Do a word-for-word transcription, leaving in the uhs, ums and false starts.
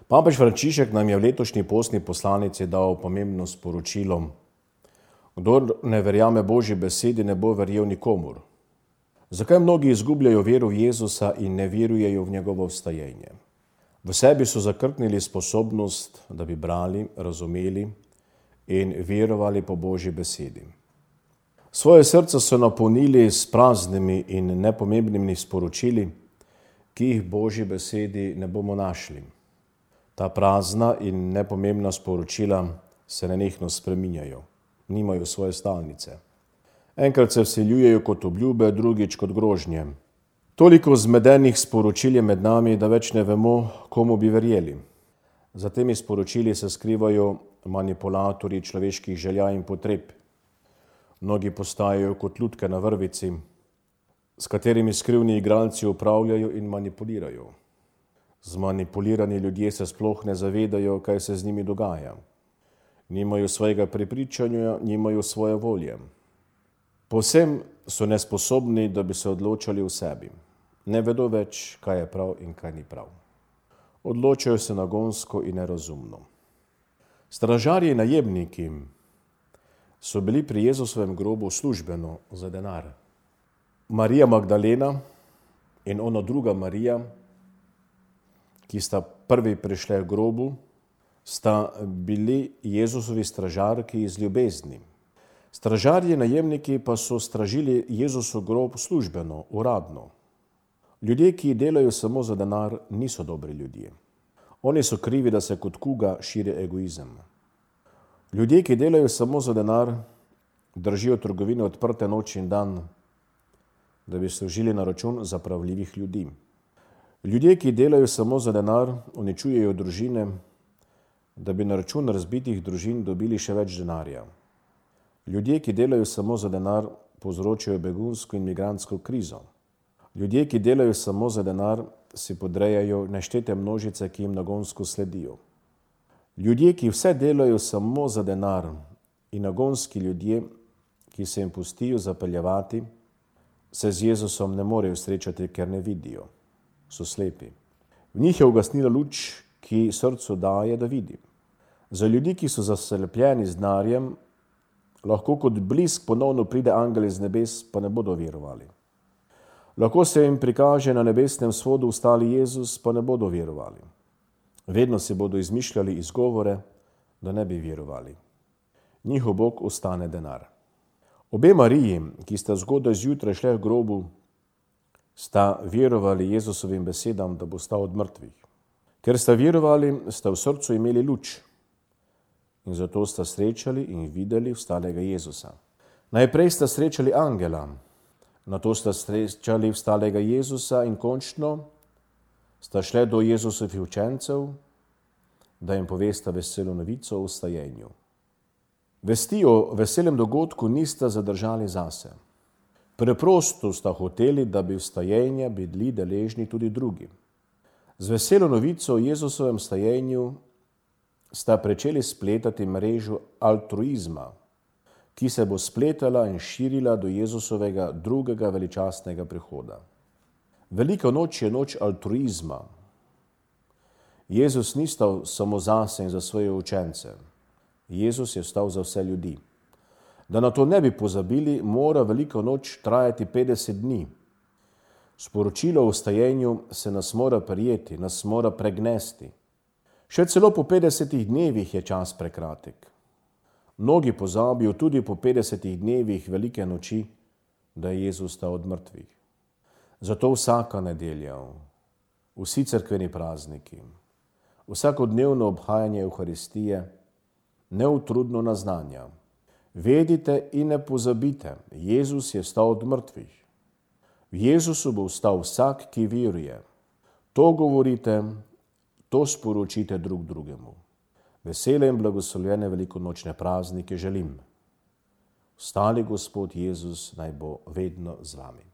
Papež Frančišek nam je v letošnji postni poslanici dal pomembno sporočilo: kdor ne verjame Božji besedi, ne bo verjel nikomur. Zakaj mnogi izgubljajo vero v Jezusa in ne verujejo v njegovo vstajenje? V sebi so zakrknili sposobnost, da bi brali, razumeli in verovali po Božji besedi. Svoje srce so napolnili s praznimi in nepomembnimi sporočili, ki jih v Božji besedi ne bomo našli. Ta prazna in nepomembna sporočila se nenehno spreminjajo, nimajo svoje stalnice. Enkrat se vseljujejo kot obljube, drugič kot grožnje. Toliko zmedenih sporočil je med nami, da več ne vemo, komu bi verjeli. Za temi sporočili se skrivajo manipulatorji človeških želja in potreb. Mnogi postajajo kot lutke na vrvici, s katerimi skrivni igralci upravljajo in manipulirajo. Zmanipulirani ljudje se sploh ne zavedajo, kaj se z njimi dogaja. Nimajo svojega prepričanja, nimajo svoje volje. Povsem so nesposobni, da bi se odločali v sebi. Ne vedo več, kaj je prav in kaj ni prav. Odločajo se nagonsko in nerazumno. Stražarji in najemniki so bili pri Jezusovem grobu službeno za denar. Marija Magdalena in ona druga Marija, ki sta prvi prišli k grobu, sta bili Jezusovi stražarki iz ljubezni. Stražarji in najemniki pa so stražili Jezusov grob službeno, uradno. Ljudje, ki delajo samo za denar, niso dobri ljudje. Oni so krivi, da se kot kuga širi egoizem. Ljudje, ki delajo samo za denar, držijo trgovine odprte noč in dan, da bi služili na račun zapravljivih ljudi. Ljudje, ki delajo samo za denar, uničujejo družine, da bi na račun razbitih družin dobili še več denarja. Ljudje, ki delajo samo za denar, povzročajo begunsko in migrantsko krizo. Ljudje, ki delajo samo za denar, si podrejajo neštete množice, ki jim nagonsko sledijo. Ljudje, ki vse delajo samo za denar, in nagonski ljudje, ki se jim pustijo zapeljevati, se z Jezusom ne morejo srečati, ker ne vidijo. So slepi. V njih je ugasnila luč, ki srcu daje, da vidi. Za ljudi, ki so zaslepljeni z denarjem, lahko kot blisk ponovno pride angel iz nebes, pa ne bodo verovali. Lahko se jim prikaže na nebesnem svodu vstali Jezus, pa ne bodo verovali. Vedno si bodo izmišljali izgovore, da ne bi verovali. Njihov Bog ostane denar. Obe Mariji, ki sta zgodaj zjutraj šle k grobu, sta verovali Jezusovim besedam, da bo stal od mrtvih. Ker sta verovali, sta v srcu imeli luč in zato sta srečali in videli vstalega Jezusa. Najprej sta srečali angela, nato sta srečali vstalega Jezusa in končno sta šle do Jezusovih učencev, da jim povesta veselo novico o vstajenju. Vesti o veselem dogodku nista zadržali zase. Preprosto sta hoteli, da bi vstajenja bili deležni tudi drugi. Z veselo novico o Jezusovem vstajenju sta pričeli spletati mrežo altruizma, ki se bo spletala in širila do Jezusovega drugega veličastnega prihoda. Velika noč je noč altruizma. Jezus ni stal samo zase in za svoje učence. Jezus je stal za vse ljudi. Da na to ne bi pozabili, mora velika noč trajati petdeset dni. Sporočilo o vstajenju se nas mora prijeti, nas mora pregnesti. Še celo po petdesetih dnevih je čas prekratek. Mnogi pozabijo tudi po petdesetih dnevih velike noči, da je Jezus stal od mrtvih. Zato vsaka nedelja, vsi cerkveni prazniki, vsakodnevno obhajanje Evharistije neutrudno naznanja: vedite in ne pozabite, Jezus je vstal od mrtvih. V Jezusu bo vstal vsak, ki veruje. To govorite, to sporočite drug drugemu. Vesele in blagoslovljene velikonočne praznike želim. Vstali Gospod Jezus naj bo vedno z vami.